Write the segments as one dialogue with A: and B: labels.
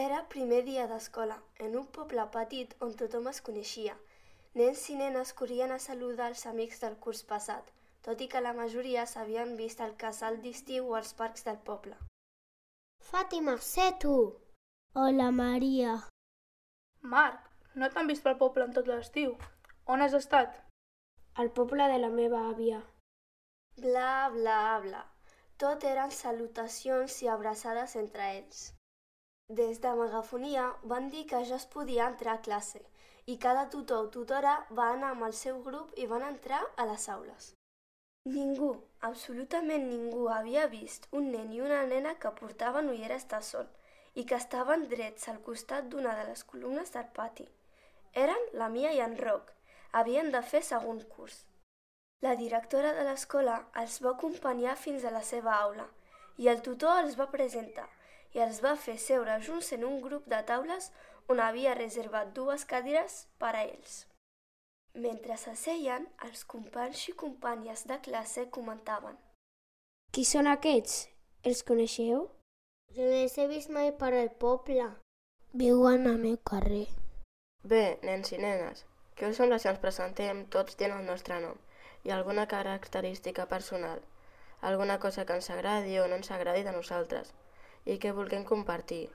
A: Era primer dia d'escola, en un poble petit on tothom es coneixia. Nens i nenes corrien a saludar els amics del curs passat, tot i que la majoria s'havien vist al casal d'estiu o als parcs del poble.
B: Fàtima, sé tu! Hola, Maria.
C: Marc, no t'han vist pel poble en tot l'estiu. On has estat?
B: Al poble de la meva àvia.
A: Bla, bla, bla. Tot eren salutacions i abraçades entre ells. Des de megafonia van dir que ja es podia entrar a classe i cada tutor o tutora va anar amb el seu grup i van entrar a les aules. Ningú, absolutament ningú, havia vist un nen i una nena que portaven ulleres de sol i que estaven drets al costat d'una de les columnes del pati. Eren la Mia i en Roc. Havien de fer segon curs. La directora de l'escola els va acompanyar fins a la seva aula i el tutor els va presentar i els va fer seure junts en un grup de taules on havia reservat 2 cadires per a ells. Mentre s'asseien, els companys i companyes de classe comentaven:
B: Qui són aquests? Els coneixeu? Jo no els he vist mai per al poble. Viuen al meu carrer.
D: Bé, nens i nenes, què us sembla si ens presentem tots dient el nostre nom i alguna característica personal, alguna cosa que ens agradi o no ens agradi de nosaltres i que vulguem compartir?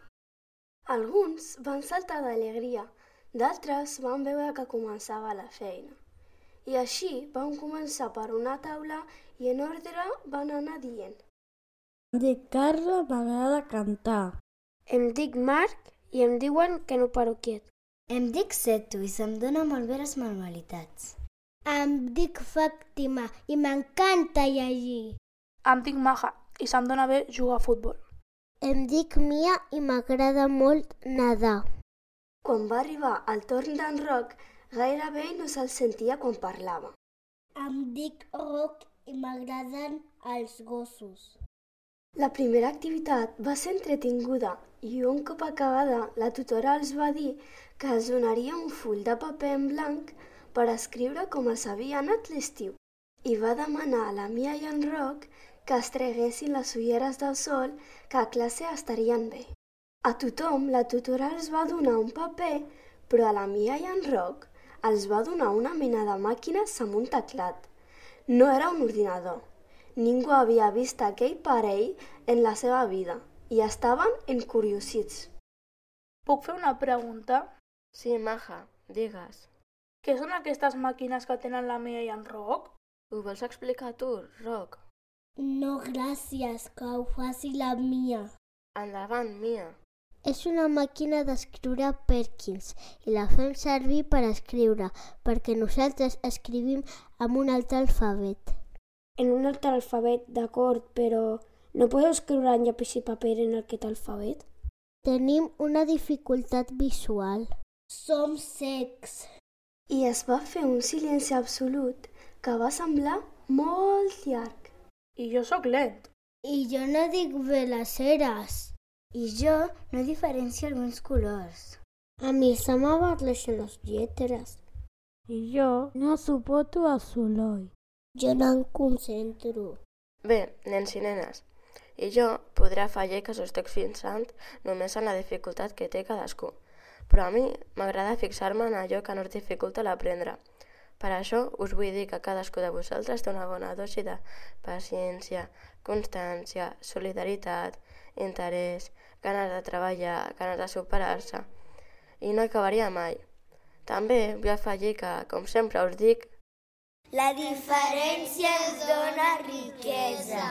A: Alguns van saltar d'alegria, d'altres van veure que començava la feina. I així van començar per una taula i en ordre van anar dient:
E: Em dic Carla, m'agrada cantar.
B: Em dic Marc i em diuen que no paro quiet.
F: Em dic Setu i se'm dona molt bé les manualitats.
B: Em dic Fàtima i m'encanta llegir.
C: Em dic Maja i se'm dona bé jugar a futbol.
B: Em dic Mia i m'agrada molt nedar.
A: Quan va arribar el torn d'en Roc, gairebé no se'l sentia quan parlava.
B: Em dic Roc i m'agraden els gossos.
A: La primera activitat va ser entretinguda i un cop acabada la tutora els va dir que els donaria un full de paper en blanc per escriure com els havia anat l'estiu i va demanar a la Mia i en Roc que es treguessin les ulleres del sol, que a classe estarien bé. A tothom la tutora els va donar un paper, però a la Mia i en Roc els va donar una mena de màquines amb un teclat. No era un ordinador. Ningú havia vist aquell parell en la seva vida i estaven encuriosits.
C: Puc fer una pregunta?
D: Sí, Maja, digues.
C: Què són aquestes màquines que tenen la Mia i en Roc?
D: Ho vols explicar tu, Roc?
B: No, gràcies, que ho faci la Mia.
D: Endavant, Mia.
B: És una màquina d'escriure Perkins i la fem servir per escriure, perquè nosaltres escrivim amb un altre alfabet. En un altre alfabet, d'acord, però no podeu escriure en llapis i paper en aquest alfabet? Tenim una dificultat visual. Som cecs.
A: I es va fer un silenci absolut que va semblar molt llarg.
C: I jo sóc lent.
B: I jo no dic bé les eres.
F: I jo no diferencio alguns colors.
B: A mi se m'abarreixen les lletres.
E: I jo no suporto el soroll.
B: Jo no em concentro.
D: Bé, nens i nenes, i jo podré afegir que s'ho estic fixant només en la dificultat que té cadascú, però a mi m'agrada fixar-me en allò que no es dificulta l'aprendre. Per això us vull dir que cadascú de vosaltres té una bona dosi de paciència, constància, solidaritat, interès, ganes de treballar, ganes de superar-se. I no acabaria mai. També vull afegir que, com sempre us dic,
F: la diferència ens dona riquesa.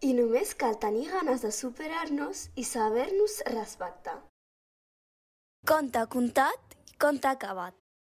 A: I només cal tenir ganes de superar-nos i saber-nos respectar. Conte contat i conte acabat.